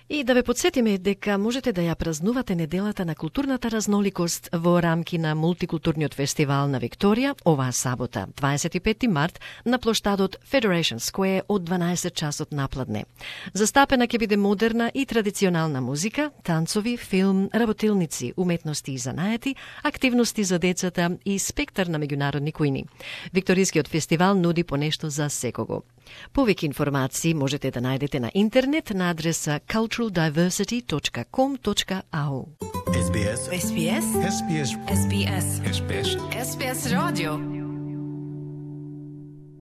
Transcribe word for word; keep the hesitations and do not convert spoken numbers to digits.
И да ве подсетиме дека можете да ја празнувате неделата на културната разноликост во рамки на мултикултурниот фестивал на Викторија оваа сабота, дваесет и петти март, на плоштадот Federation Square од дванаесет часот напладне. Застапена ќе биде модерна и традиционална музика, танцови, филм, работилници, уметности и занаети, активности за децата и спектар на меѓународни кујни. Викторискиот фестивал нуди понешто за секого. Повеќе информации можете да најдете на интернет на адреса cultural diversity dot com dot a u. S B S. S B S. S B S. S B S. S B S. S B S Radio.